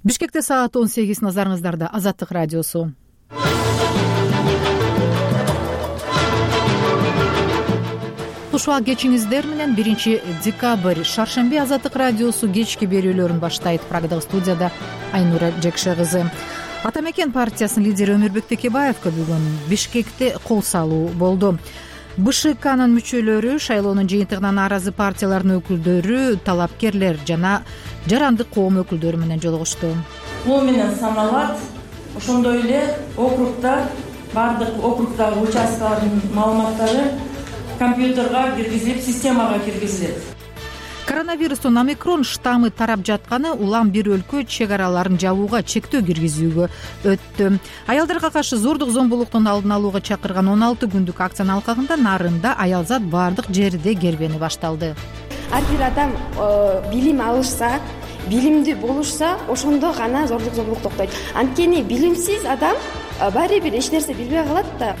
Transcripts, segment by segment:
Бишкекте саат 18, назарыңыздарда Азаттык радиосу. Кушуа кечиңиздер менен 1 декабрь шаршемби Азаттык радиосу кечки берүүлөрүн баштайт. Прагадагы студияда Айнура Жекше кызы. Ата мекен партиясынын лидери Өмүрбек Текебаевка бүгүн Бишкекте кол салуу болду. БШКнын мүчөлөрү, шайлоонун жыйынтыгына нааразы партиялардын өкүлдөрү, талапкерлер жана жарандык коом өкүлдөрү менен жолугушту. Бул менен саналат. Ошондой эле округда бардык округдагы участкалардын маалыматтары компьютерга киргизилип, системага киргизилет. Коронавирустун омикрон штаммы тарап жатканы улам бир өлкө чек араларын жабууга чектөө киргизүүгө өттү. Аялдарга каршы зордук зомбулуктун алдын алууга чакырган 16 күндүк акциянын алкагында Нарында аялзат бардык жерде кербени башталды. Ар бир адам билим алышса, билимдүү болушса, ошондо гана зордук зомбулук токтойт. Анткени билимсиз адам баары бир эч нерсе билбей калат да.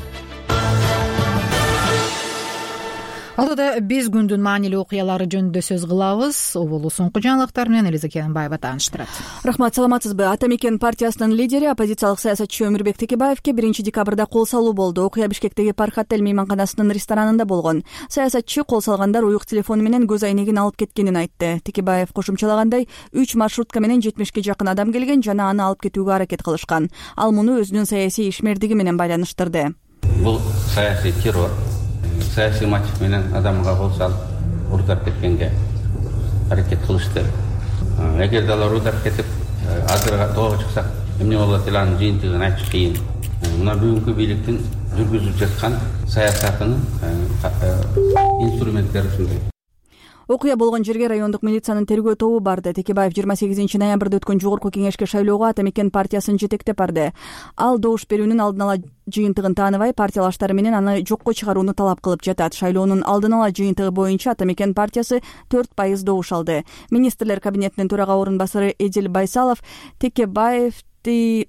Алдыда биз күндүн маанилүү окуялары жөнүндө сөз кылабыз. Оболу соңку жаңылыктар менен Элиза Кенбаева тааныштырат. Рахмат, саламатсызбы? Ата мекен партиясынын лидери, оппозициялык саясатчы Өмүрбек Текебаевке 1 декабрда кол салуу болду. Окуя Бишкектеги Пархат-эль мейманканасынын ресторанында болгон. Саясатчы кол салгандар уюк телефону менен көз айнегин алып кеткенин айтты. Текебаев кошумчалагандай, 3 маршрутка менен 70ке жакын адам келген жана аны алып кетүүгө аракет кылышкан. Ал муну өзүнүн саясий ишмердиги менен байланыштырды. Бул саясий террор. Саясий мотив менен адамга кол салып урдап кеткенге аракет кылышты. Эгерде алар урдап кетип, азыр тоого чыксак, эмне болот эле анын жыйынтыгын айтыш кыйын. Мына бүгүнкү бийликтин жүргүзүп жаткан саясатынын инструменттери ушундай. Окуя болгон жерге райондук милициянын тергөө тобу барды. Текебаев 28 ноябрда өткөн жогорку кеңешке шайлоого Ата мекен партиясын жетектеп барды. Ал добуш берүүнүн алдын ала жыйынтыгын тааныбай, партиялаштары менен аны жокко чыгарууну талап кылып жатат. Шайлоонун алдын ала жыйынтыгы боюнча Ата мекен партиясы 4% добуш алды. Министрлер кабинетинин төрага орун басары Эдил Байсалов Текебаев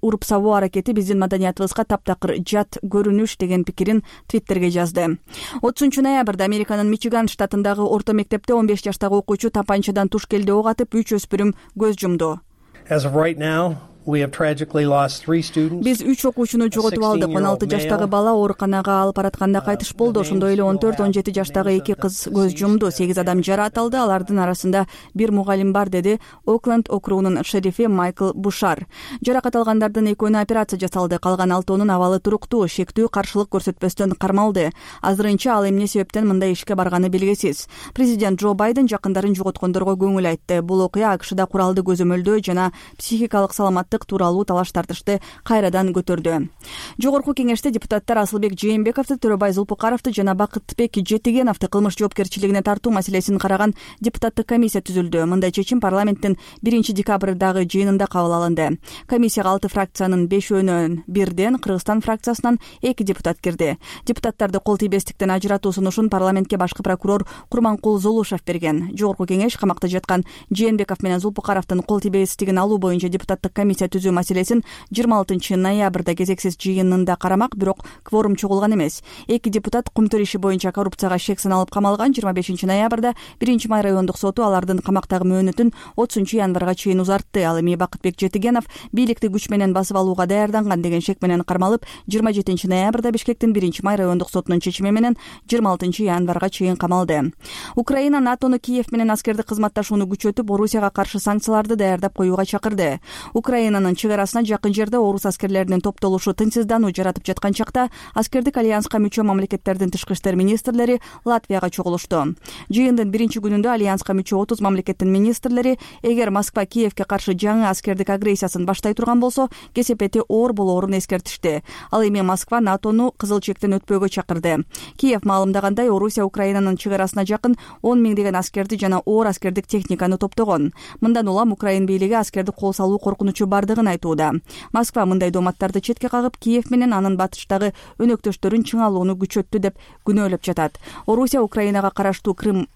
уруп сабоо аракети биздин маданиятыбызга таптакыр жат көрүнүш деген пикирин Твиттерге жазды. 30 ноябрда Американын Мичиган штатындагы орто мектепте 15 жаштагы окуучу тапанчадан туш келди ок атып 3 өспүрүм көз жумду. Биз 3 окуучуну жоготуп алдык. 16 жаштагы бала ооруканага алып баратканда кайтыш болду. Ошондой эле 14-17 жаштагы 2 кыз көз жумду. 8 адам жаракат алды. Алардын арасында бир мугалим бар, деди Окленд округунун шерифи Майкл Бушар. Жаракат алгандардын 2-өөнө операция жасалды. Калган 6-ынын абалы туруктуу, шектүү каршылык көрсөтпөстөн кармалды. Азырынча ал эмне себептен мындай ишке барганы белгисиз. Президент Джо Байден жакындарын жоготкондорго көңүл айтты. Бул окуя АКШда куралды көзөмөлдөө жана психикалык саламаттык тууралуу талаш-тартышты кайрадан көтөрдү. Жогорку кеңеште депутаттар Асылбек Жээнбековду, Төрөбай Зулпукаровду жана Бакытбек Жетигеновду кылмыш жоопкерчилигине тартуу маселесин караган депутаттык комиссия түзүлдү. Мындай чечим парламенттин 1 декабрдагы жыйынында кабыл алынды. Комиссияга 6 фракциянын 5-өөнөн бирден, Кыргызстан фракциясынан 2 депутат кирди. Депутаттарды кол тийбестиктен ажыратуу сунушун парламентке башкы прокурор Курманкул Золушев берген. Жогорку кеңеш камакта жаткан Жээнбеков менен Зулпукаровдун кол тийбестигин алуу боюнча депутаттык комиссия түзүү маселесин 26 ноябрда кезексиз жыйынында карамак, бирок кворум чогулган эмес. 2 депутат кумтөр иши боюнча коррупцияга шек саналып камалган. 25 ноябрда 1 май райондук соту алардын камактагы мөөнөтүн 30 январга чейин узартты. Ал эми Бакытбек Жетигенов бийликти күч менен басып алууга даярданган деген шек менен кармалып, 27 ноябрда Бишкектин 1 май райондук сотунун чечими менен 26 январга чейин камалды. Украина НАТОну Киев менен аскердик кызматташууну күчөтүп, Орусияга каршы санкцияларды даярдап коюуга чакырды. Украинанын чек арасына жакын жерде орус аскерлеринин топтолушу тынчсыздануу жаратып жаткан чакта аскердик альянска мүчө мамлекеттердин тышкы иштер министрлери Латвияга чогулушту. Жыйындын 1 күнүндө альянска мүчө 30 мамлекеттин министрлери эгер Москва Киевке каршы жаңы аскердик агрессиясын баштай турган болсо, кесепети оор болоорун эскертишти. Ал эми Москва НАТОну кызыл чектен өтпөөгө чакырды. Киев маалымдагандай, Орусия Украинанын чек арасына жакын 10 миңдеген аскерди жана оор аскердик техниканы топтогон. Мындан улам Украин бийлиги аскерди кол салуу коркунучу бардыгын айтууда. Москва мындай дооматтарды четке кагып, Киев менен анын батыштагы өнөктөштөрүн чыңалууну күчөттү деп күнөөлөп жатат. Орусия Украинага караштуу Крым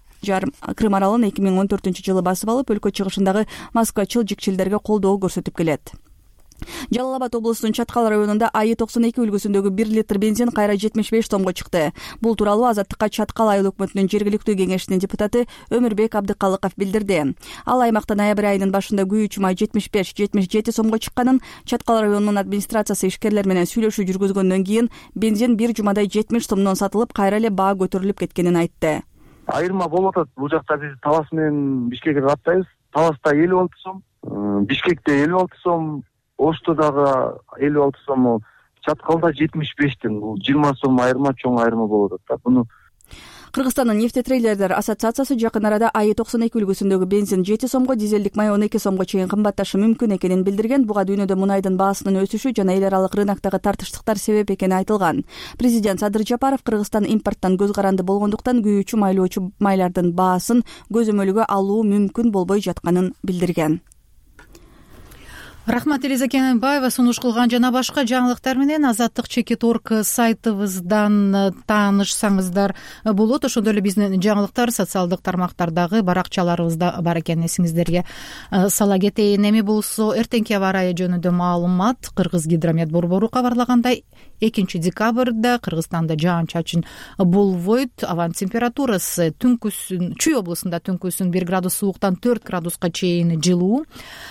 аралын 2014 жылы басып алып, өлкө чыгышындагы москвачыл жикчилдерге колдоо көрсөтүп келет. Жалал Абад облусунун Чаткал районунда АИ-92 үлгүсүндөгү 1 литр бензин кайра 75 сомго чыкты. Бул тууралуу Азаттыкка Чаткал айыл өкмөтүнүн жергиликтүү кеңешинин депутаты Өмүрбек Абдыкалыков билдирди. Ал аймакта ноябрь айынын башында күйүүчү май 75-77 сомго чыкканын, Чаткал районунун администрациясы ишкерлер менен сүйлөшүү жүргүзгөндөн кийин бензин бир жумадай 70 сомдон сатылып, кайра эле баа көтөрүлүп кеткенин айтты. Айырма болуп атат. Бул жакта биз Талас менен Бишкекке каттайбыз. Таласта 56 сом, Бишкекте 56 сом, Ошто дагы 56 сом, Чаткалда 75тен. Бул 20 сом айырма, чоң айырма болуп атат. Буну Кыргызстандын нефтетрейлердер ассоциациясы жакын арада АИ-92 үлгүсүндөгү бензин 7 сомго, дизелдик май 12 сомго чейин кымбатташы мүмкүн экенин билдирген. Буга дүйнөдө мунайдын баасынын өсүшү жана эл аралык рыноктогу тартыштыктар себеп экени айтылган. Президент Садыр Жапаров Кыргызстан импорттон көз каранды болгондуктан күйүүчү майлоочу майлардын баасын көзөмөлгө алуу мүмкүн болбой жатканын билдирген. Рахмат, Элиза Кененбаева сунуш кылган. Жана башка жаңылыктар менен Азаттык.org сайтыбыздан таанышсаңыздар болот. Ошондой эле биздин жаңылыктар социалдык тармактардагы баракчаларыбызда бар экенин эсиңиздерге сала кетейин. Эми болсо эртеңки аба ырайы жөнүндө маалымат. Кыргызгидромет борбору кабарлагандай, 2 декабрда Кыргызстанда жаан-чачын болбойт. Абанын температурасы Чүй облусунда түнкүсүн 1 градус сууктан 4 градуска чейин жылуу,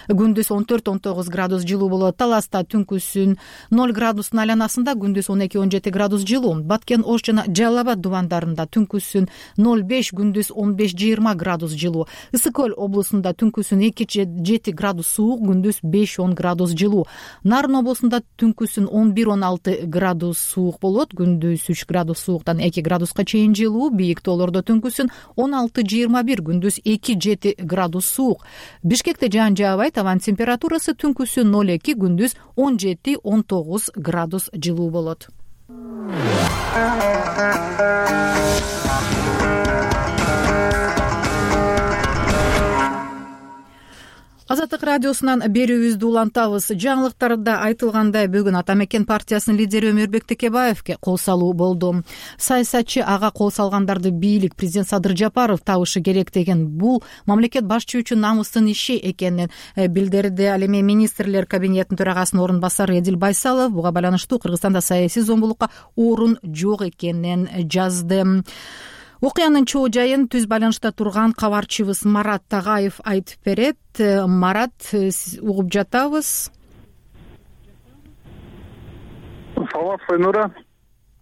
күндүз 14-19 градус жылуу болот. Таласта түнкүсүн 0 градустун айланасында, күндүз 12-17 градус жылуу. Баткен, Ош жана Жалал Абад дубандарында түнкүсүн 0,5, күндүз 15-20 градус жылуу. Ысык Көл облусунда түнкүсүн 2-7 градус суук, күндүз 5-10 градус жылуу. Нарын облусунда түнкүсүн 11-16 градус суук болот, күндүз 3 градус сууктан 2 градуска чейин жылуу. Бийик тоолордо түнкүсүн 16-21, күндүз 2-7 градус суук. Бишкекте жаан жаабайт, абанын температурасы түнкүсүн 0,2, күндүз 17-19 градус жылуу болот. Азаттык радиосунан берүүбүздү улантабыз. Жаңылыктарда айтылгандай, бүгүн Ата Мекен партиясынын лидери Өмүрбек Текебаевке кол салуу болду. Саясатчы ага кол салгандарды бийлик, президент Садыр Жапаров табышы керек деген, бул мамлекет башчы үчүн намыстын иши экенин билдирди. Ал эми министрлер кабинетинин төрагасынын орун басары Эдил Байсалов буга байланыштуу Кыргызстанда саясий зомбулукка орун жок экенин жазды. Окуянын чоо жайын түз байланышта турган кабарчыбыз Марат Тагаев айтып берет. Марат, угуп жатабыз. Саламатсызбы Айнура.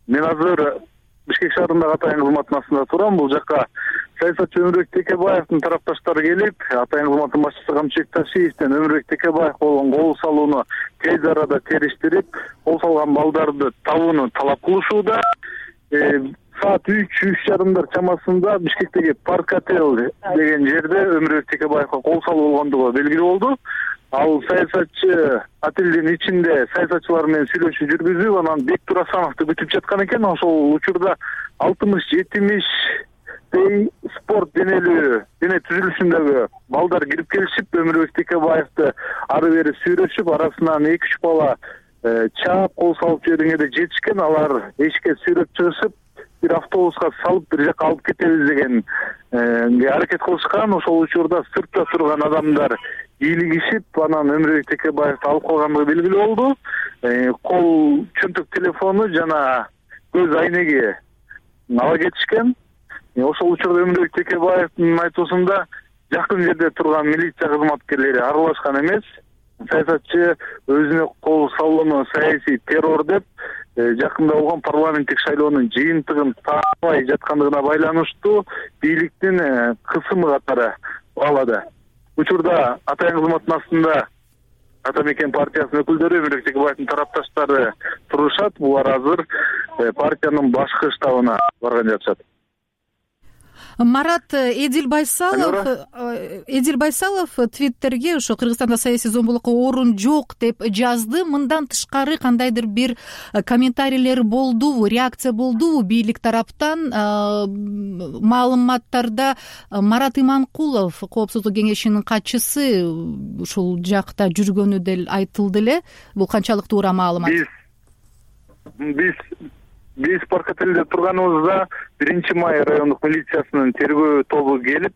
Мен азыр Бишкек шаарындагы Атайын кызматынын астында турам. Бул жакка саясатчы Өмүрбек Текебаевдин тарапташтары келип, Атайын кызматынын башчысы Камчыбек Ташиевден Өмүрбек Текебаев болгон кол салууну тез арада териштирип, кол салган балдарды табууну талап кылышууда. Саат 3:30 чамасында Бишкектеги Парк Отель деген жерде Өмүрбек Текебаевга кол салуу болгондугу белгилүү болду. Ал саясатчы отелдин ичинде саясатчылар менен сүйлөшүү жүргүзүп, анан Бек Турасановду күтүп жаткан экен. Ошол учурда 60-70 спорт дене түзүлүшүндөгү балдар кирип келишип, Өмүрбек Текебаевди ары бери сүйлөшүп, арасынан 2-3 бала чаап кол салып жибергенде жетишкен. Алар эшикке сүйлөп чыгышып, бир автобуска салып бир жака алып кетебиз деген аракет кылышкан. Ошол учурда сыртта турган адамдар ийилигишип, анан Өмүрбек Текебаевди алып калгандыгы белгилүү болду. Кол чөнтөк телефону жана көз айнеги ала кетишкен. Ошол учурда Өмүрбек Текебаевдин айтуусунда жакын жерде турган милиция кызматкерлери аралашкан эмес. Саясатчы өзүнө кол салууну саясий террор деп, жакында болгон парламенттик шайлоонун жыйынтыгын тааныбай жаткандыгына байланыштуу бийликтин кысымы катары баалады. Учурда Атайын кызматынын астында Ата Мекен партиясынын өкүлдөрү, Өмүрбек Текебаевдин тарапташтары турушат. Булар азыр партиянын башкы штабына барган жатышат. Марат, Эдил Байсалов Твиттерге ошо Кыргызстанда саясий зомбулукка орун жок деп жазды. Мындан тышкары кандайдыр бир комментарийлер болдубу, реакция болдубу бийлик тараптан? Маалыматтарда Марат Иманкулов, Коопсуздук кеңешинин катчысы, ушул жакта жүргөнү деле айтылды эле. Бул канчалык туура маалымат? Биз Парк Отелде турганыбызда 1 май райондук милициясынын тергөө тобу келип,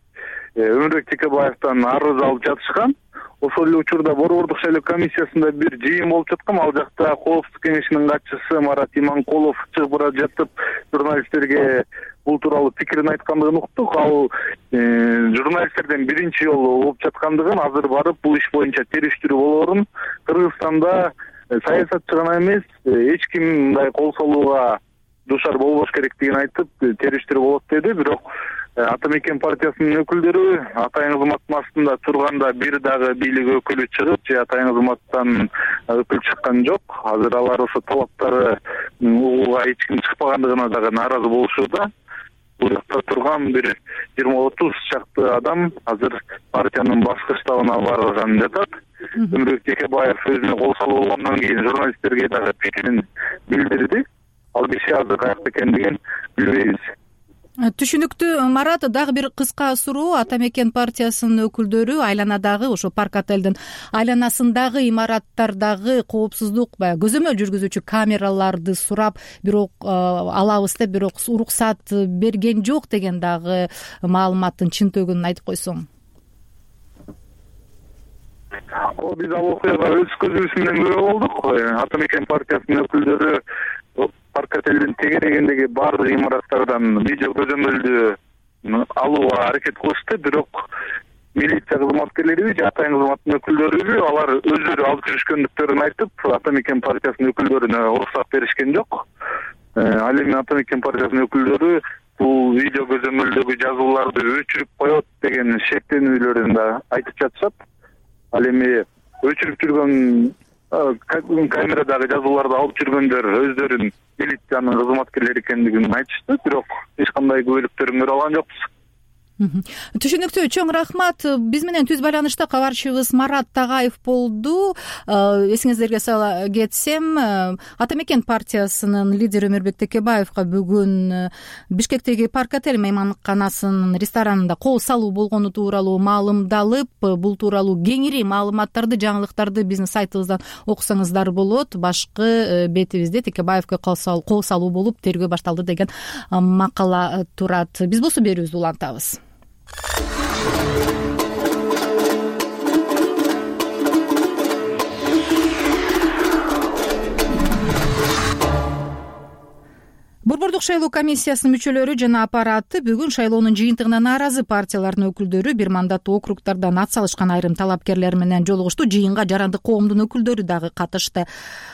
Өмүрбек Текебаевден арыз алып жатышкан. ошол эле учурда борбордук шайлоо комиссиясында бир жыйын болуп жаткан. Ал жакта Коопсуздук кеңешинин катчысы Марат Иманкулов чыгып бара жатып журналисттерге бул тууралуу пикирин айткандыгын уктук. Ал журналисттерден биринчи жолу болуп жаткандыгын, азыр барып бул иш боюнча териштирүү болоорун, Кыргызстанда саясатчы гана эмес, эч ким мындай кол салууга дуушар болбош керектигин айтып териштирүү болот деди. Бирок Ата Мекен партиясынын өкүлдөрү Атайын кызматтын астында турганда бир дагы бийлик өкүлү чыгып же Атайын кызматтан өкүл чыккан жок. Азыр алар ошо талаптары угууга эч ким чыкпагандыгына дагы нааразы болушууда. Бул жакта турган бир 20-30 чакты адам азыр партиянын башкы штабына барган жатат. Өмүрбек Текебаев өзүнө кол салуу болгондон кийин журналисттерге дагы пикирин билдирди. Ал киши азыр каякта экендигин билбейбиз. Түшүнүктүү Марат, дагы бир кыска суроо. Ата Мекен партиясынын өкүлдөрү айланадагы ошо парк отелдин айланасындагы имараттардагы коопсуздук көзөмөл жүргүзүүчү камераларды сурап, бирок алабыз деп, бирок уруксат берген жок деген дагы маалыматтын чынтөгүн айтып койсоң. Биз ал окуяга өз көзүбүз менен күбө болдук. Ата Мекен партиясынын өкүлдөрү парк отелдин тегерегиндеги баардык имараттардан видео көзөмөлдү алууга аракет кылышты. Бирок милиция кызматкерлери же Атайын кызматтын өкүлдөрү алар өздөрү алып жүрүшкөндүктөрүн айтып, Ата Мекен партиясынын өкүлдөрүнө уруксат беришкен жок. Ал эми Ата Мекен партиясынын өкүлдөрү бул видео көзөмөлдөгү жазууларды өчүрүп коет деген шектенүүлөрүн да айтып жатышат. Ал эми өчүрүп жүргөн камерадагы жазууларды алып жүргөндөр өздөрүн милициянын кызматкерлери экендигин айтышты, бирок эч кандай күбөлүктөрүн көрө алган жокпуз. Түшүнүктүү, чоң рахмат. Биз менен түз байланышта кабарчыбыз Марат Тагаев болду. Эсиңиздерге сала кетсем, Ата Мекен партиясынын лидери Өмүрбек Текебаевга бүгүн Бишкектеги парк отель мейманканасынын ресторанында кол салуу болгону тууралуу маалымдалып, бул тууралуу кеңири маалыматтарды, жаңылыктарды биздин сайтыбыздан окусаңыздар болот. Башкы бетибизде Текебаевге кол салуу болуп тергөө башталды деген макала турат. Биз болсо берүүбүздү улантабыз. Борбордук шайлоо комиссиясынын мүчөлөрү жана аппараты бүгүн шайлоонун жыйынтыгына нааразы партиялардын өкүлдөрү, бир мандаттуу округдардан ат салышкан айрым талапкерлер менен жолугушту. Жыйынга жарандык коомдун өкүлдөрү дагы катышты.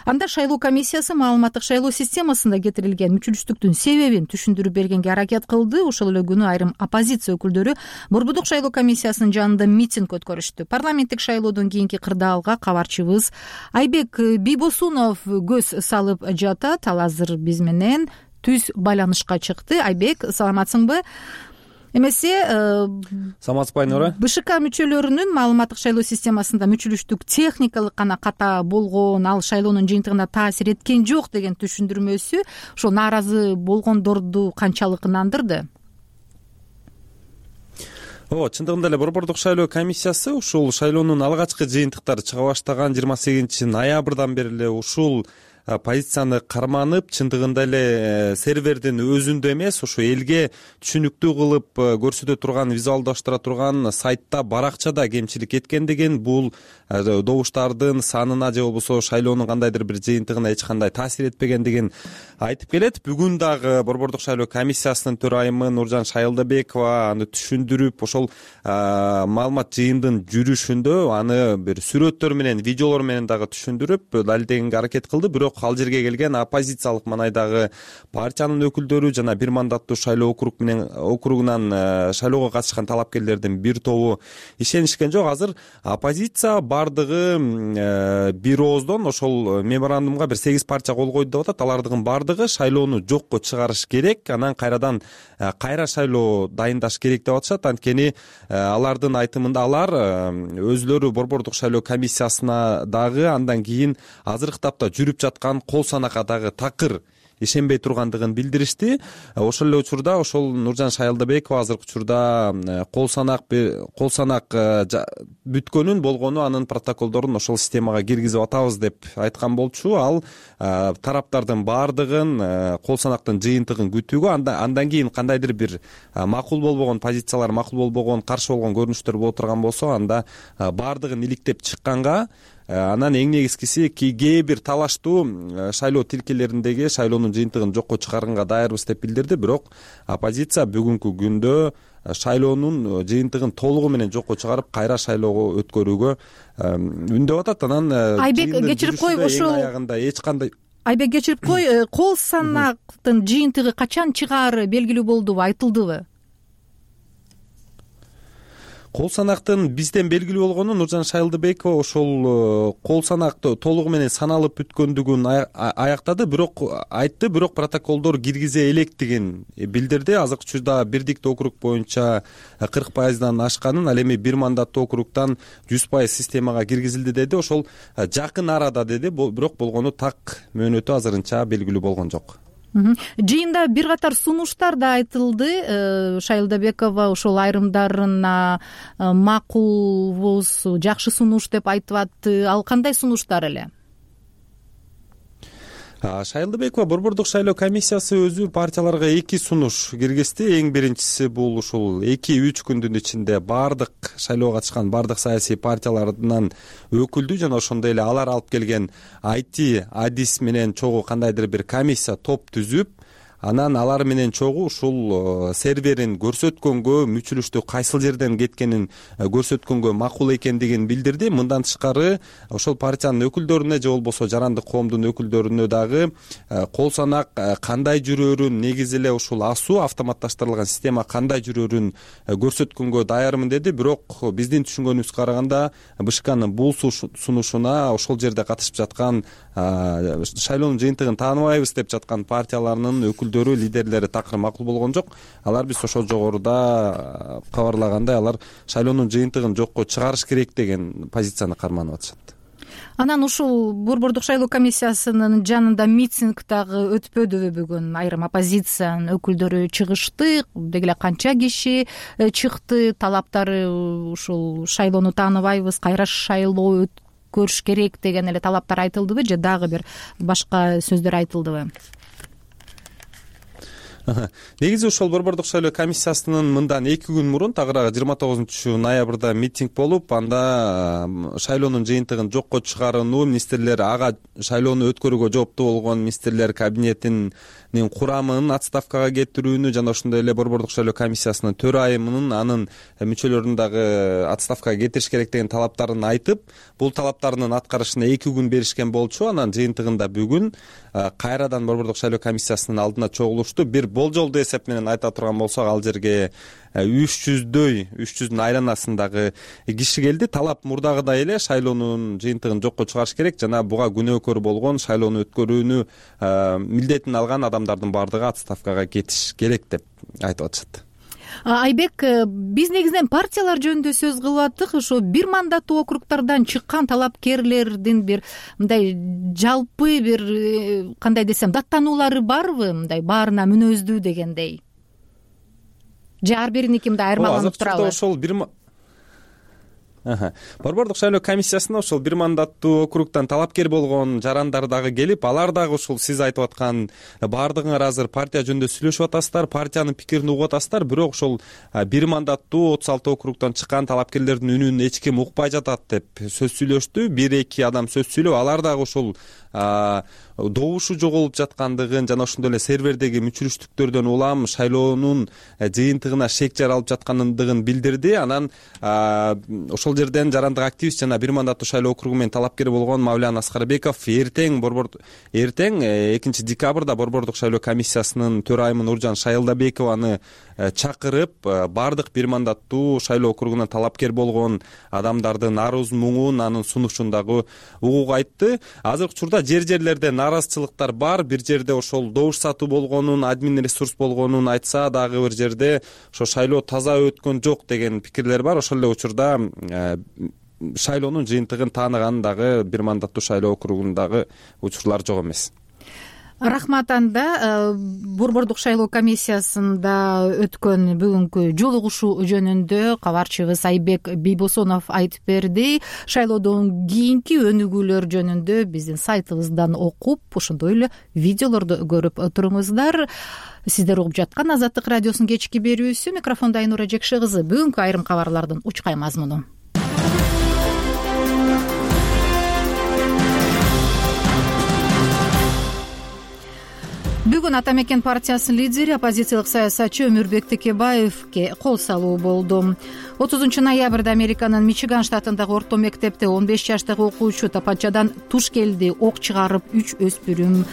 Анда шайлоо комиссиясы маалыматтык шайлоо системасында кетирилген мүчүлүштүктүн себебин түшүндүрүп бергенге аракет кылды. Ошол эле күнү айрым оппозиция өкүлдөрү борбордук шайлоо комиссиясынын жанында митинг өткөрүштү. Парламенттик шайлоодон кийинки кырдаалга кабарчыбыз Айбек Бийбосунов көз салып жатат. Ал азыр биз менен түз байланышка чыкты. Айбек, саламатсыңбы? Эмесе саламатсызбы Айнура? БШК мүчөлөрүнүн маалыматтык шайлоо системасында мүчүлүштүк техникалык гана ката болгон, ал шайлоонун жыйынтыгына таасир эткен жок деген түшүндүрмөсү ошо нааразы болгондорду канчалык ынандырды? Чындыгында эле борбордук шайлоо комиссиясы ушул шайлоонун алгачкы жыйынтыктары чыга баштаган 28 ноябрдан бери эле ушул позицияны карманып, чындыгында эле сервердин өзүндө эмес, ошо элге түшүнүктүү кылып көрсөтө турган, визуалдаштыра турган сайтта, баракчада кемчилик эткендигин, бул добуштардын санына же болбосо шайлоонун кандайдыр бир жыйынтыгына эч кандай таасир этпегендигин айтып келет. Бүгүн дагы борбордук шайлоо комиссиясынын төрайымы Нуржан Шайылдабекова аны түшүндүрүп, ошол маалымат жыйындын жүрүшүндө аны бир сүрөттөр менен, видеолор менен дагы түшүндүрүп далилдегенге аракет кылды. Бирок ал жерге келген оппозициялык манайдагы партиянын өкүлдөрү жана бир мандаттуу шайлоо округунан шайлоого катышкан талапкерлердин бир тобу ишенишкен жок. Азыр оппозиция бардыгы бир ооздон ошол меморандумга бир 8 партия кол койду деп атат. Алардын бардыгы шайлоону жокко чыгарыш керек, анан кайра шайлоо дайындаш керек деп атышат. Анткени алардын айтымында алар өзлөрү борбордук шайлоо комиссиясына дагы, андан кийин азыркы тапта жүрүп жаткан кол санакка дагы такыр ишенбей тургандыгын билдиришти. Ошол эле учурда ошол Нуржан Шайлдыбекова азыркы учурда кол санак бүткөнүн болгону анын протоколдорун ошол системага киргизип атабыз деп айткан болчу. Ал тараптардын баардыгын кол санактын жыйынтыгын күтүүгө, андан кийин кандайдыр бир макул болбогон позициялар, макул болбогон, каршы болгон көрүнүштөр боло турган болсо, анда баардыгын иликтеп чыкканга, анан эң негизгиси кээ бир талаштуу шайлоо тилкелериндеги шайлоонун жыйынтыгын жокко чыгарганга даярбыз деп билдирди. Бирок оппозиция бүгүнкү күндө шайлоонун жыйынтыгын толугу менен жокко чыгарып, кайра шайлоого өткөрүүгө үндөп атат. Анан Айбек, кечирип кой, ошол аягында эч кандай кол санактын жыйынтыгы качан чыгаары белгилүү болдубу, айтылдыбы? Кол санактын бизден белгилүү болгону Нуржан Шайлдыбекова ошол кол санакты толугу менен саналып бүткөндүгүн аяктады, бирок айтты, бирок протоколдор киргизе электигин билдирди. Азыркы учурда бирдиктүү округ боюнча 40% ашканын, ал эми бир мандаттуу округтан 100% системага киргизилди деди. Ошол жакын арада деди, бирок болгону так мөөнөтү азырынча белгилүү болгон жок. Жыйында бир катар сунуштар да айтылды. Шайлдыбекова ошол айрымдарына макулбуз, жакшы сунуш деп айтып атты. Ал кандай сунуштар эле? Шайлдыбекова Борбордук шайлоо комиссиясы өзү партияларга 2 сунуш киргизди. Эң биринчиси бул ушул 2-3 күндүн ичинде бардык шайлоого катышкан бардык саясий партиялардан өкүлдү жана ошондой эле алар алып келген IT адис менен чогуу кандайдыр бир комиссия топ түзүп, анан алар менен чогуу ушул серверин көрсөткөнгө, мүчүлүштү кайсыл жерден кеткенин көрсөткөнгө макул экендигин билдирди. Мындан тышкары ошол партиянын өкүлдөрүнө же болбосо жарандык коомдун өкүлдөрүнө дагы кол санак кандай жүрөөрүн, негизи эле ушул АСУ автоматташтырылган система кандай жүрөөрүн көрсөткөнгө даярмын деди. Бирок биздин түшүнгөнүбүзгө караганда БШКнын бул сунушуна ошол жерде катышып жаткан шайлоонун жыйынтыгын тааныбайбыз деп жаткан партияларынын лидерлери такыр макул болгон жок. Алар биз ошол жогоруда кабарлагандай, алар шайлоонун жыйынтыгын жокко чыгарыш керек деген позицияны карманып атышат. Анан ушул Борбордук шайлоо комиссиясынын жанында митинг дагы өтпөдүбү бүгүн? Айрым оппозициянын өкүлдөрү чыгышты, деги эле канча киши чыкты, талаптары ушул шайлоону тааныбайбыз, кайра шайлоо өткөрүш керек деген эле талаптар айтылдыбы же дагы бир башка сөздөр айтылдыбы? Негизи ошол Борбордук шайлоо комиссиясынын мындан 2 күн мурун, тагыраагы 29 ноябрда митинг болуп, анда шайлоонун жыйынтыгын жокко чыгарууну, министрлер, ага шайлоону өткөрүүгө жооптуу болгон министрлер кабинетинин курамын отставкага кетирүүнү жана ошондой эле Борбордук шайлоо комиссиясынын төрайымынын, анын мүчөлөрүн дагы отставкага кетириш керек деген талаптарын айтып, бул талаптарынын аткарышына 2 күн беришкен болчу. Анан жыйынтыгында бүгүн кайрадан Борбордук шайлоо комиссиясынын алдына чогулушту. Бир болжолдуу эсеп менен айта турган болсок, ал жерге 300дөн айланасындагы киши келди. Талап мурдагыдай эле шайлоонун жыйынтыгын жокко чыгарыш керек жана буга күнөөкөр болгон, шайлоону өткөрүүнү милдетин алган адамдардын баардыгы отставкага кетиш керек деп айтып атышат. Айбек, биз негизинен партиялар жөнүндө сөз кылып аттык. Ошо бир мандаттуу округтардан чыккан талапкерлердин бир мындай жалпы бир кандай десем даттануулары барбы, мындай баарына мүнөздүү дегендей? Же ар бириники мындай айырмаланып турабы? Ошол Борбордук шайлоо комиссиясына ошол бир мандаттуу округтан талапкер болгон жарандар дагы келип, алар дагы ушул сиз айтып аткан баардыгыңар азыр партия жөнүндө сүйлөшүп атасыздар, партиянын пикирин угуп атасыздар, бирок ошол бир мандаттуу 36 округтан чыккан талапкерлердин үнүн эч ким укпай жатат деп сөз сүйлөштү. 1-2 адам сөз сүйлөп, алар дагы ошол добушу жоголуп жаткандыгын жана ошондой эле сервердеги мүчүлүштүктөрдөн улам шайлоонун жыйынтыгына шек жаралып жаткандыгын билдирди. Анан ошол жерден жарандык активист жана бир мандаттуу шайлоо округу менен талапкер болгон Мавлян Аскарбеков эртең 2 декабрда Борбордук шайлоо комиссиясынын төрайымы Нуржан Шайлдабекованы чакырып, бардык бир мандаттуу шайлоо округунан талапкер болгон адамдардын арыз муңун, анын сунушун дагы угууга айтты. Азыркы учурда жерлерде нааразычылыктар бар. Бир жерде ошол добуш сатуу болгонун, админ ресурс болгонун айтса, дагы бир жерде ошо шайлоо таза өткөн жок деген пикирлер бар. Ошол эле учурда шайлоонун жыйынтыгын тааныган дагы бир мандаттуу шайлоо округундагы учурлар жок эмес. Рахмат. Анда борбордук шайлоо комиссиясында өткөн бүгүнкү жолугушуу жөнүндө кабарчыбыз Айбек Бийбосонов айтып берди. Шайлоодон кийинки өнүгүүлөр жөнүндө биздин сайтыбыздан окуп, ошондой эле видеолорду көрүп туруңуздар. Сиздер угуп жаткан Азаттык радиосунун кечки берүүсү. Микрофондо Айнура Жекше кызы. Бүгүнкү айрым кабарлардын учкай мазмуну. Бүгүн Ата мекен партиясынын лидери, оппозициялык саясатчы Өмүрбек Текебаевке кол салуу болду. 30 ноябрда Американын Мичиган штатындагы орто мектепте 15 жаштагы окуучу тапанчадан туш келди, ок чыгарып 3 өспүрүм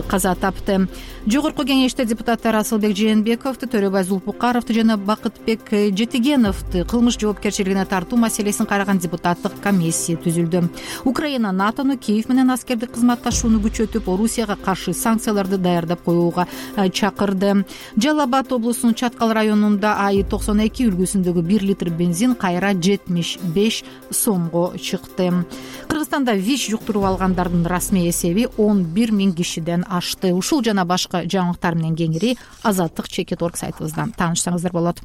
каза тапты. Жогорку кеңеште депутаттар Асылбек Жээнбековду, Төрөбай Зулпукаровду жана Бакытбек Жетигеновду кылмыш жоопкерчилигине тартуу маселесин караган депутаттык комиссия түзүлдү. Украина НАТОну Киев менен аскердик кызматташууну күчөтүп, Орусияга каршы санкцияларды даярдап коюуга чакырды. Жалал Абад облусунун Чаткал районунда АИ-92 үлгүсүндөгү 1 литр бензин кайра 75 сомго чыкты. Кыргызстанда ВИЧ жуктуруп алгандардын расмий эсеби 11 000 кишиден ашты. Ушул жана башка жаңылыктар менен кеңири Азаттык.org сайтыбыздан таанышсаңыздар болот.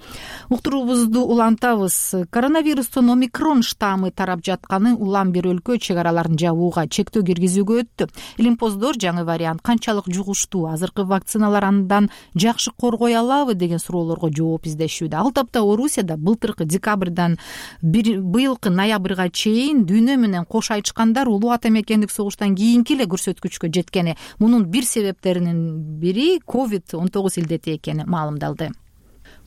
Уктуруубузду улантабыз. Коронавирустун омикрон штаммы тарап жатканы улам бир өлкө чек араларын жабууга, чектөө киргизүүгө өттү. Илимпоздор жаңы вариант канчалык жугуштуу, азыркы вакциналар андан жакшы коргой алабы деген суроолорго жооп издешүүдө. Ал тапта Орусияда былтыркы декабрдан быйылкы ноябрга чейин дүйнө менен кош айтышкандар улуу ата мекендик согуштан кийинки эле көрсөткүчкө жеткени, мунун бир себептеринин бири COVID-19 илдети экени маалымдалды.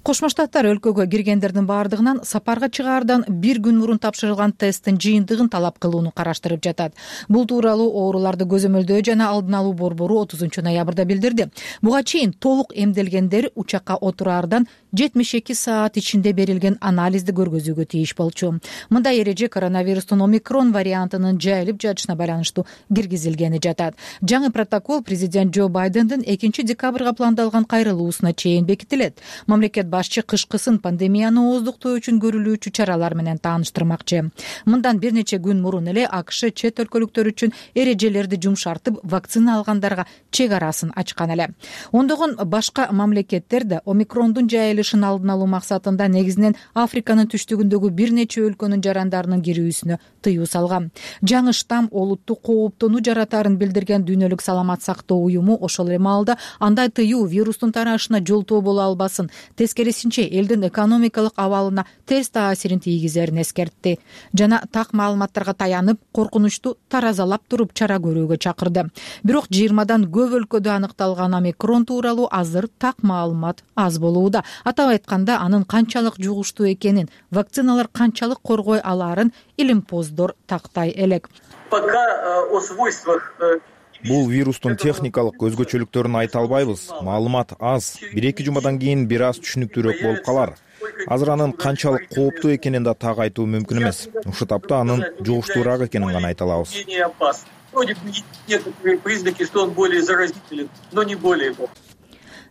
Кошмо Штаттар өлкөгө киргендердин баардыгынан сапарга чыгаардан бир күн мурун тапшырылган тесттин жыйынтыгын талап кылууну караштырып жатат. Бул тууралуу ооруларды көзөмөлдөө жана алдын алуу борбору 30 ноябрда билдирди. Буга чейин толук эмделгендер учакка отураардан 72 саат ичинде берилген анализди көргөзүүгө тийиш болчу. Мындай эреже коронавирустун омикрон вариантынын жайылып жатышына байланыштуу киргизилгени жатат. Жаңы протокол президент Джо Байдендин 2 декабрга пландалган кайрылуусуна чейин бекитилет. Мамлекет башчы кышкысын пандемияны ооздуктоо үчүн көрүлүүчү чаралар менен тааныштырмакчы. Мындан бир нече күн мурун эле АКШ чет өлкөлүктөр үчүн эрежелерди жумшартып, вакцина алгандарга чек арасын ачкан эле. Ондогон башка мамлекеттер да омикрондун жайылышын алдын алуу максатында негизинен Африканын түштүгүндөгү бир нече өлкөнүн жарандарынын кирүүсүнө тыюу салган. Жаңы штамм олуттуу кооптонуу жаратарын билдирген Дүйнөлүк саламат сактоо уюму ошол эле маалда андай тыюу вирустун тарашына жолтоо боло албасын, тескерисинче элдин экономикалык абалына терс таасирин тийгизерин эскертти жана так маалыматтарга таянып, коркунучту таразалап туруп чара көрүүгө чакырды. Бирок 20дан көп өлкөдө аныкталган омикрон тууралуу азыр так маалымат аз болууда. Атап айтканда, анын канчалык жугуштуу экенин, вакциналар канчалык коргой алаарын илимпоздор тактай элек. Бул вирустун техникалык өзгөчөлүктөрүн айта албайбыз. Маалымат аз. 1-2 жумадан кийин бир аз түшүнүктүүрөөк болуп калар. Азыр анын канчалык кооптуу экенин да так айтуу мүмкүн эмес. Ушул тапта анын жугуштуураак экенин гана айта алабыз.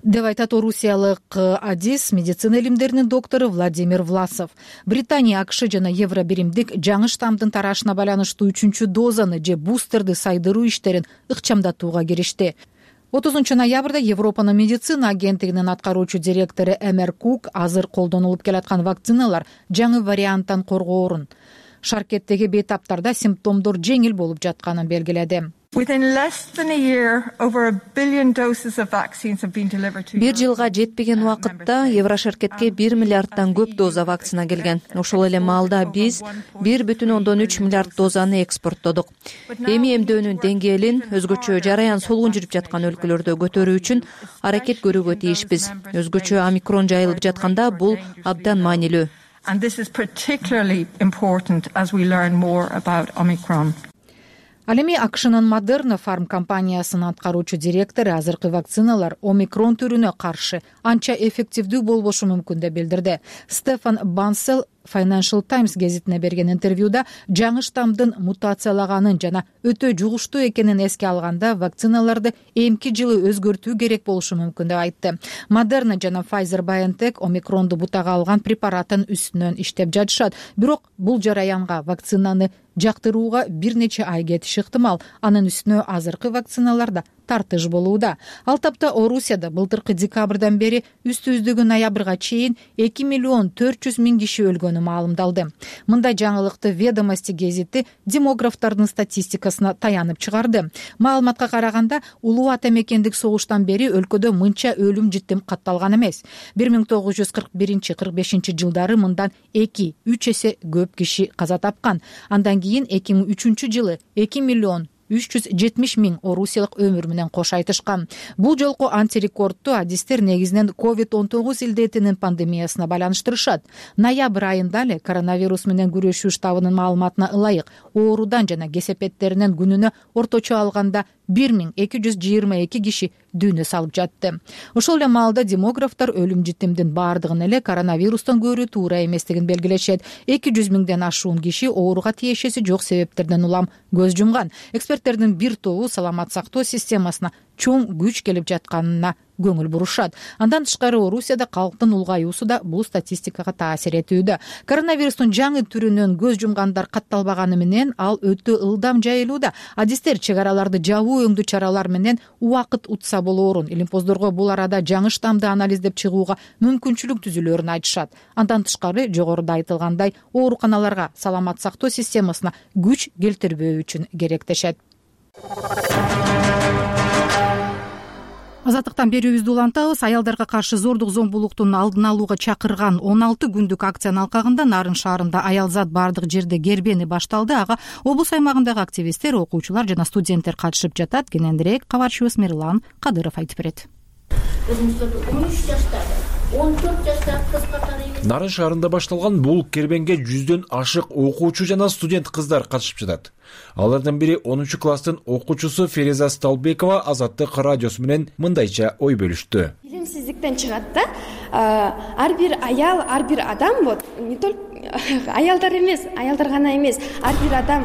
Деп айтат орусиялык адис, медицина илимдеринин доктору Владимир Власов. Британия, АКШ жана Евробиримдик жаңы штаммдын тарашына байланыштуу 3-чү дозаны же бустерди сайдыруу иштерин ыкчамдатууга киришти. 30 ноябрда Европанын медицина агенттигинин аткаруучу директору Эмер Кук азыр колдонулуп келаткан вакциналар жаңы варианттан коргоорун, шаркеттеги бейтаптарда симптомдор жеңил болуп жатканын белгиледи. Бир жылга жетпеген убакытта Еврошаркетке 1 миллиарддан көп доза вакцина келген. Ошол эле маалда биз 1,3 миллиард дозаны экспорттодук. Эми эмдөөнүн деңгээлин өзгөчө жараян солгун жүрүп жаткан өлкөлөрдө көтөрүү үчүн аракет көрүүгө тийишпиз. Өзгөчө омикрон жайылып жатканда бул абдан маанилүү. Ал эми АКШнын Moderna Pharm компаниясынын аткаруучу директору азыркы вакциналар омикрон түрүнө каршы анча эффективдүү болбошу мүмкүн деп билдирди. Стефан Бансел Financial Times гезитине берген интервьюда жаңы штаммдын мутациялаганын жана өтө жугуштуу экенин эске алганда вакциналарды эмки жылы өзгөртүү керек болушу мүмкүн деп айтты. Moderna жана Pfizer-BioNTech омикронду бутага алган препараттын үстүнөн иштеп жатышат. Бирок бул жараянга вакцинаны жактырууга бир нече ай кетиши ыктымал. Анын үстүнө азыркы вакциналарда тартыш болууда. Ал тапта Орусияда былтыркы декабрдан бери үстүбүздөгү ноябрга чейин 2,4 миллион киши өлгөнү маалымдалды. Мындай жаңылыкты Ведомости гезити демографтардын статистикасына таянып чыгарды. Маалыматка караганда, улуу ата мекендик согуштан бери өлкөдө мынча өлүм житим катталган эмес. 1941-45 жылдары мындан 2-3 эсе көп киши каза тапкан. Андан кийин 2003 жылы 2,370 орусиялык өмүр менен кош айтышкан. Бул жолку антирекордту адистер негизинен COVID-19 илдетинин пандемиясына байланыштырышат. Ноябрь айында эле коронавирус менен күрөшүү штабынын маалыматына ылайык оорудан жана кесепеттеринен күнүнө орточо алганда 1222 киши дүйнө салып жатты. Ошол эле маалда демографтар өлүм житимдин баардыгын эле коронавирустан көрүү туура эместигин белгилешет. 200 миңден ашуун киши ооруга тиешеси жок себептерден улам көз жумган. Эксперттердин бир тобу саламат сактоо системасына чоң күч келип жатканына көңүл бурушат. Андан тышкары Орусияда калктын улгаюусу да бул статистикага таасир этүүдө. Коронавирустун жаңы түрүнөн көз жумгандар катталбаганы менен ал өтө ылдам жайылууда. Адистер чек араларды жабуу өңдүү чаралар менен убакыт утса болоорун, илимпоздорго бул арада жаңы штамды анализдеп чыгууга мүмкүнчүлүк түзүлөөрүн айтышат. Андан тышкары жогоруда айтылгандай ооруканаларга саламат сактоо системасына күч келтирбөө үчүн керектешет. Азаттыктан берүүбүздү улантабыз. Аялдарга каршы зордук зомбулуктун алдын алууга чакырган 16 күндүк акциянын алкагында Нарын шаарында аялзат бардык жерде кербени башталды. Ага облус аймагындагы активисттер, окуучулар жана студенттер катышып жатат. Кененирээк кабарчыбыз Мирлан Кадыров айтып берет. 13 жаштагы 14 жаштагы кыз катары Нарын шаарында башталган бул кербенге 100дөн ашык окуучу жана студент кыздар катышып жатат. Алардын бири 10 класстын окуучусу Фереза Сталбекова Азаттык радиосу менен мындайча ой бөлүштү. Билимсиздиктен чыгат да. Ар бир аял, ар бир адам не только аялдар эмес, аялдар гана эмес, ар бир адам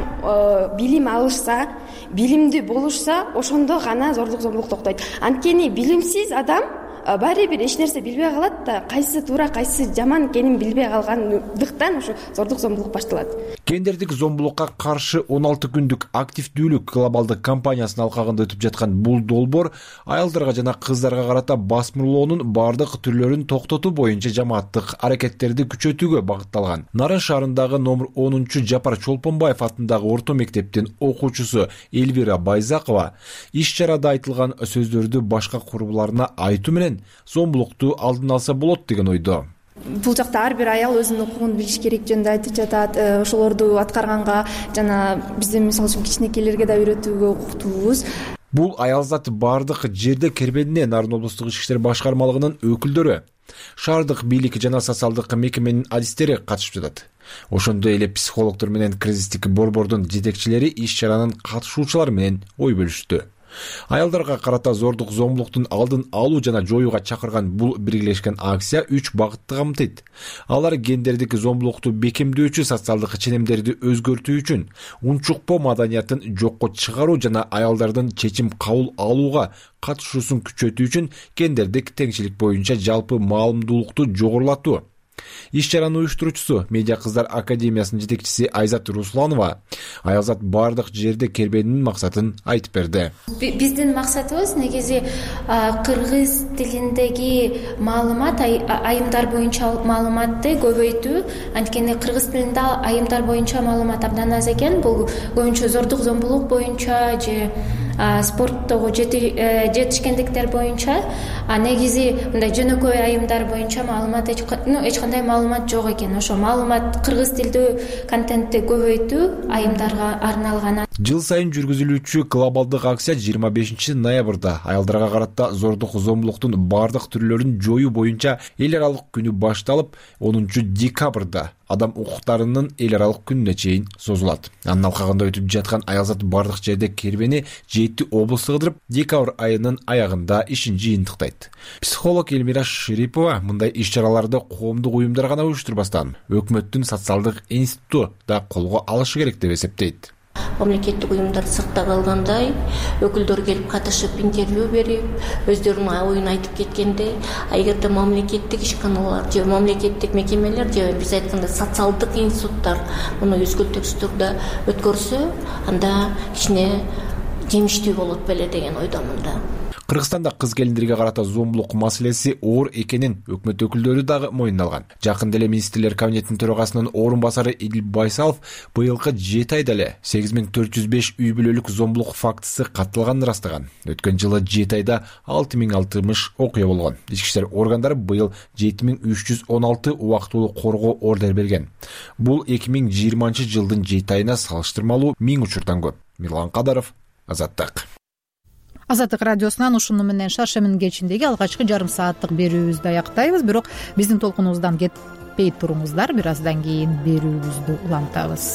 билим алышса, билимдүү болушса, ошондо гана зордук зомбулук токтойт. Анткени билимсиз адам баары бир эч нерсе билбей калат да, кайсы туура, кайсы жаман экенин билбей калгандыктан ошо зордук зомбулук башталат. Гендердик зомбулукка каршы 16 күндүк активдүүлүк глобалдык кампаниясынын алкагында өтүп жаткан бул долбоор аялдарга жана кыздарга карата басмырлоонун бардык түрлөрүн токтотуу боюнча жамааттык аракеттерди күчөтүүгө багытталган. Нарын шаарындагы номер 10 Жапар Чолпонбаев атындагы орто мектептин окуучусу Эльвира Байзакова иш-чарада айтылган сөздөрдү башка курбуларына айтуу менен зомбулукту алдын алса болот деген ойдо. Бул жакта ар бир аял өзүнүн укугун билиш керек жөнүндө айтып жатат. Ошолорду аткарганга жана биздин мисалы үчүн кичинекейлерге да үйрөтүүгө укуктуубуз. Бул аялзат бардык жерде кербенине Нарын облустук ички иштер башкармалыгынын өкүлдөрү, шаардык бийлик жана социалдык мекеменин адистери катышып жатат. Ошондой эле психологдор менен кризистик борбордун жетекчилери иш-чаранын катышуучулары менен ой бөлүштү. Аялдарга карата зордук зомбулуктун алдын алуу жана жоюуга чакырган бул биргелешкен акция 3 багытты камтыйт. Алар гендердик зомбулукту бекемдөөчү социалдык ченемдерди өзгөртүү үчүн, унчукпоо маданиятын жокко чыгаруу жана аялдардын чечим кабыл алууга катышуусун күчөтүү үчүн гендердик теңчилик боюнча жалпы маалымдуулукту жогорулатуу. Иш-чаранын уюштуруучусу Медиа кыздар академиясынын жетекчиси Айзат Русланова аялзат бардык жерде кербенинин максатын айтып берди. Биздин максатыбыз негизи кыргыз тилиндеги маалымат, айымдар боюнча маалыматты көбөйтүү. Анткени кыргыз тилинде айымдар боюнча маалымат абдан аз экен. Бул көбүнчө зордук зомбулук боюнча же спорттогу жетишкендиктер боюнча, негизи мындай жөнөкөй айымдар боюнча маалымат эч кандай маалымат жок экен. Ошо маалымат кыргыз тилдүү контентти көбөйтүү айымдарга арналган. Жыл сайын жүргүзүлүүчү глобалдык акция 25 ноябрда аялдарга карата зордук зомбулуктун бардык түрлөрүн жоюу боюнча эл аралык күнү башталып, 10 декабрда адам укуктарынын эл аралык күнүнө чейин созулат. Анын алкагында өтүп жаткан аялзат бардык жерде кербени 7 облусту кыдырып, декабрь айынын аягында ишин жыйынтыктайт. Психолог Эльмира Шерипова мындай иш-чараларды коомдук уюмдар гана уюштурбастан, өкмөттүн социалдык институту да колго алышы керек деп эсептейт. Мамлекеттик уюмдар сыртта калгандай, өкүлдөр келип катышып интервью берип, өздөрүнүн оюн айтып кеткенде, эгерде мамлекеттик ишканалар же мамлекеттик мекемелер же биз айткандай социалдык институттар муну үзгүлтүксүз түрдө өткөрсө, анда кичине жемиштүү болот беле деген ойдомун да. Кыргызстанда кыз келиндерге карата зомбулук маселеси оор экенин өкмөт өкүлдөрү дагы моюнуна алган. Жакында эле министрлер кабинетинин төрагасынын орун басары Идил Байсалов быйылкы 7 айда эле 8405 үй бүлөлүк зомбулук фактысы катталганын ырастаган. Өткөн жылы 7 айда 6060 окуя болгон. Ички иштер органдары быйыл 7316 убактылуу коргоо ордер берген. Бул 2020 жылдын 7 айына салыштырмалуу 1000 учурдан көп. Мирлан Кадаров, Азаттык. Азаттык радиосунан ушуну менен шаршембинин кечиндеги алгачкы жарым сааттык берүүбүздү аяктайбыз. Бирок биздин толкунубуздан кетпей туруңуздар, бир аздан кийин берүүбүздү улантабыз.